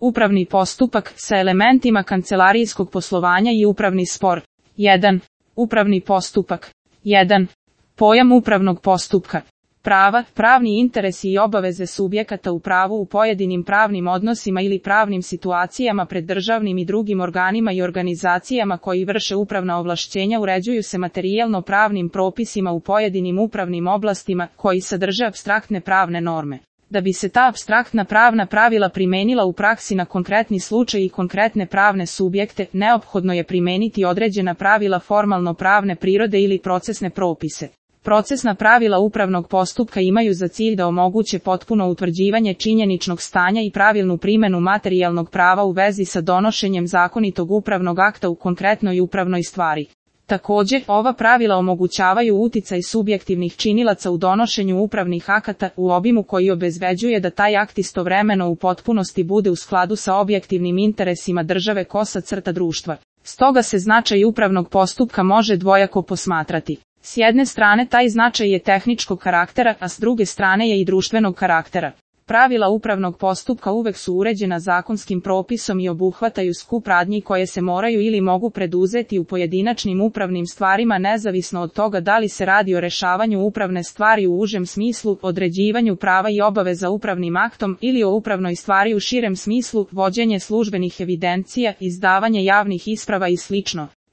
Upravni postupak sa elementima kancelarijskog poslovanja i upravni spor. 1. Upravni postupak. 1. Pojam upravnog postupka. Prava, pravni interesi i obaveze subjekata u pravu u pojedinim pravnim odnosima ili pravnim situacijama pred državnim i drugim organima i organizacijama koji vrše upravna ovlašćenja uređuju se materijalno pravnim propisima u pojedinim upravnim oblastima koji sadrže apstraktne pravne norme. Da bi se ta apstraktna pravna pravila primenila u praksi na konkretni slučaj i konkretne pravne subjekte, neophodno je primeniti određena pravila formalno pravne prirode ili procesne propise. Procesna pravila upravnog postupka imaju za cilj da omoguće potpuno utvrđivanje činjeničnog stanja i pravilnu primjenu materijalnog prava u vezi sa donošenjem zakonitog upravnog akta u konkretnoj upravnoj stvari. Također, ova pravila omogućavaju uticaj subjektivnih činilaca u donošenju upravnih akata u obimu koji obezbeđuje da taj akt istovremeno u potpunosti bude u skladu sa objektivnim interesima države društva. Stoga se značaj upravnog postupka može dvojako posmatrati. S jedne strane taj značaj je tehničkog karaktera, a s druge strane je i društvenog karaktera. Pravila upravnog postupka uvek su uređena zakonskim propisom i obuhvataju skup radnji koje se moraju ili mogu preduzeti u pojedinačnim upravnim stvarima nezavisno od toga da li se radi o rešavanju upravne stvari u užem smislu, određivanju prava i obaveza upravnim aktom ili o upravnoj stvari u širem smislu, vođenje službenih evidencija, izdavanje javnih isprava i sl.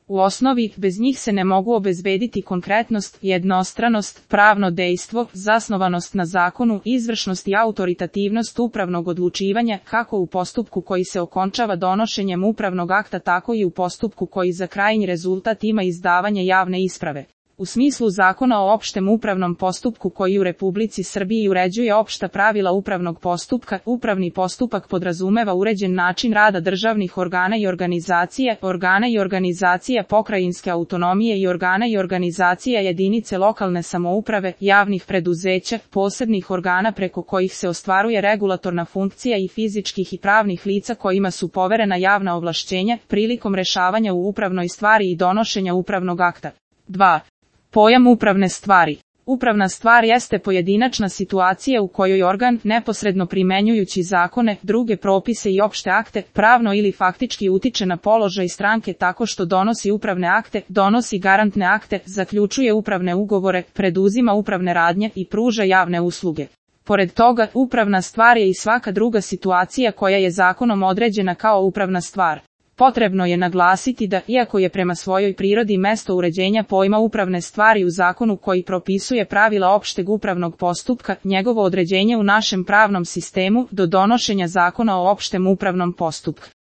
U osnovi, bez njih se ne mogu obezbediti konkretnost, jednostranost, pravno dejstvo, zasnovanost na zakonu, izvršnost i autoritativnost upravnog odlučivanja, kako u postupku koji se okončava donošenjem upravnog akta, tako i u postupku koji za krajnji rezultat ima izdavanje javne isprave. U smislu Zakona o opštem upravnom postupku koji u Republici Srbiji uređuje opšta pravila upravnog postupka, upravni postupak podrazumeva uređen način rada državnih organa i organizacija pokrajinske autonomije i organa i organizacija jedinice lokalne samouprave, javnih preduzeća, posebnih organa preko kojih se ostvaruje regulatorna funkcija i fizičkih i pravnih lica kojima su poverena javna ovlašćenja, prilikom rešavanja u upravnoj stvari i donošenja upravnog akta. 2. Pojam upravne stvari. Upravna stvar jeste pojedinačna situacija u kojoj organ, neposredno primenjujući zakone, druge propise i opšte akte, pravno ili faktički utiče na položaj stranke tako što donosi upravne akte, donosi garantne akte, zaključuje upravne ugovore, preduzima upravne radnje i pruža javne usluge. Pored toga, upravna stvar je i svaka druga situacija koja je zakonom određena kao upravna stvar. Potrebno je naglasiti da, iako je prema svojoj prirodi mesto uređenja pojma upravne stvari u zakonu koji propisuje pravila opšteg upravnog postupka, njegovo određenje u našem pravnom sistemu do donošenja Zakona o opštem upravnom postupku